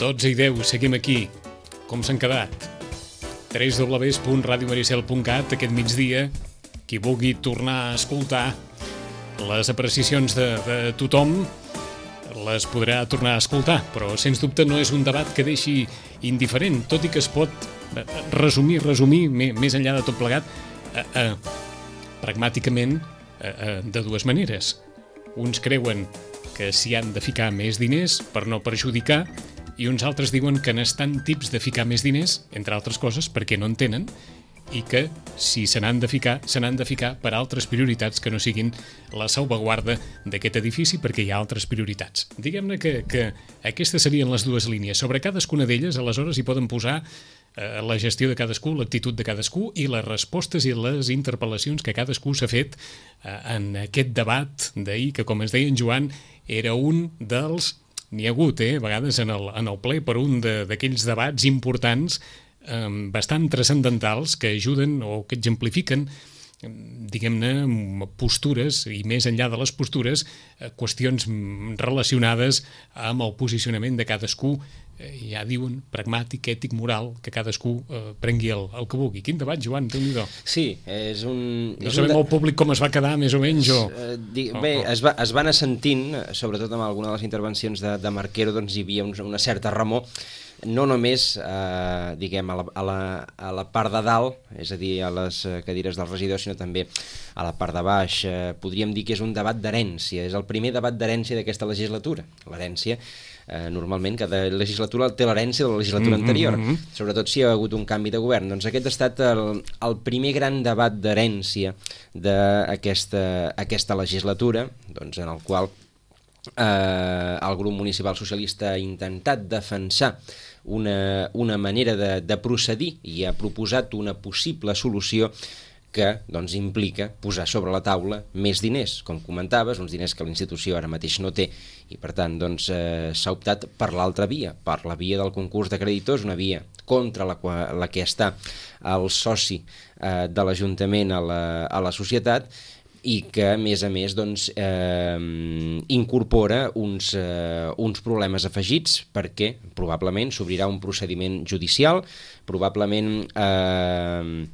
dotze i deu, seguim aquí. Com s'han quedat? w w w punt radio maricel punt cat aquest migdia. Qui vulgui tornar a escoltar les apreciacions de, de tothom les podrà tornar a escoltar, però sens dubte no és un debat que deixi indiferent, tot i que es pot resumir, resumir més enllà de tot plegat, eh, eh, pragmàticament eh, eh, de dues maneres. Uns creuen que s'hi han de ficar més diners per no perjudicar, i uns altres diuen que n'estan tips de ficar més diners, entre altres coses, perquè no en tenen, i que, si se n'han de ficar, se n'han de ficar per altres prioritats que no siguin la salvaguarda d'aquest edifici, perquè hi ha altres prioritats. Diguem-ne que, que aquestes serien les dues línies. Sobre cadascuna d'elles, aleshores, hi poden posar eh, la gestió de cadascú, l'actitud de cadascú i les respostes i les interpel·lacions que cadascú s'ha fet eh, en aquest debat d'ahir, que, com ens deia en Joan, era un dels... N'hi ha hagut, eh, a vegades, en el, en el ple, per un d'aquells de, debats importants eh, bastant transcendentals que ajuden o que exemplifiquen, diguem-ne, postures, i més enllà de les postures, eh, qüestions relacionades amb el posicionament de cadascú, eh, ja diuen, pragmàtic, ètic, moral, que cadascú eh, prengui el, el que vulgui. Quin debat, Joan, déu-n'hi-do. Sí, és un... No és sabem un de... el públic com es va quedar, més o menys, o... Uh, di... Bé, es va, es va anar sentint, sobretot amb alguna de les intervencions de, de Marquero, doncs hi havia un, una certa remor, no només eh, diguem, a, la, a, la, a la part de dalt, és a dir, a les cadires dels regidors, sinó també a la part de baix. Eh, podríem dir que és un debat d'herència, és el primer debat d'herència d'aquesta legislatura. L'herència, eh, normalment, cada legislatura té l'herència de la legislatura mm-hmm. anterior, sobretot si hi ha hagut un canvi de govern. Doncs aquest ha estat el, el primer gran debat d'herència d'aquesta aquesta legislatura, doncs, en el qual eh, el grup municipal socialista ha intentat defensar una, una manera de, de procedir i ha proposat una possible solució que doncs, implica posar sobre la taula més diners, com comentaves, uns diners que la institució ara mateix no té, i per tant doncs, eh, s'ha optat per l'altra via, per la via del concurs de creditors, una via contra la, la que està el soci eh, de l'Ajuntament a la, a la societat, i que, a més a més, doncs, eh, incorpora uns, eh, uns problemes afegits, perquè probablement s'obrirà un procediment judicial, probablement eh,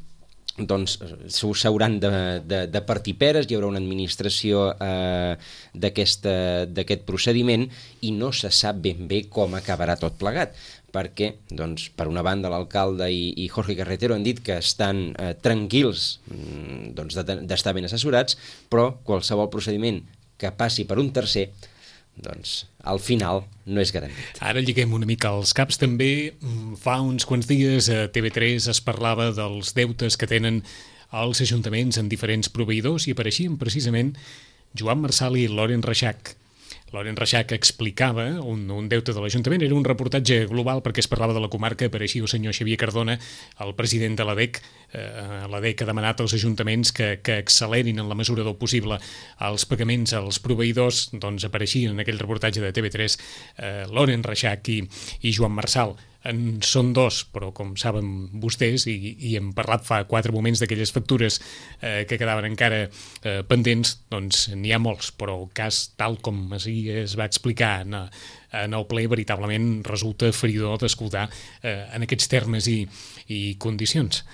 doncs, s'hauran de, de, de partir peres, hi haurà una administració eh, d'aquest procediment i no se sap ben bé com acabarà tot plegat, perquè, doncs, per una banda, l'alcalde i, i Jorge Carretero han dit que estan eh, tranquils doncs, d'estar ben assessorats, però qualsevol procediment que passi per un tercer, doncs, al final no és garantit. Ara lliguem una mica els caps. També fa uns quants dies a T V tres es parlava dels deutes que tenen els ajuntaments en diferents proveïdors i apareixien precisament Joan Marsal i Loren Reixac. Loren Reixac explicava un, un deute de l'Ajuntament, era un reportatge global perquè es parlava de la comarca, apareixia el senyor Xavier Cardona, el president de l'A D E C. Eh, L'A D E C ha demanat als ajuntaments que, que accelerin en la mesura del possible els pagaments als proveïdors, doncs apareixien en aquell reportatge de T V tres eh, Loren Reixac i, i Joan Marsal. En són dos, però com saben vostès, i, i hem parlat fa quatre moments d'aquelles factures eh, que quedaven encara eh, pendents, doncs n'hi ha molts, però el cas, tal com es va explicar en, en el ple, veritablement resulta feridor d'escoltar eh, en aquests termes i, i condicions.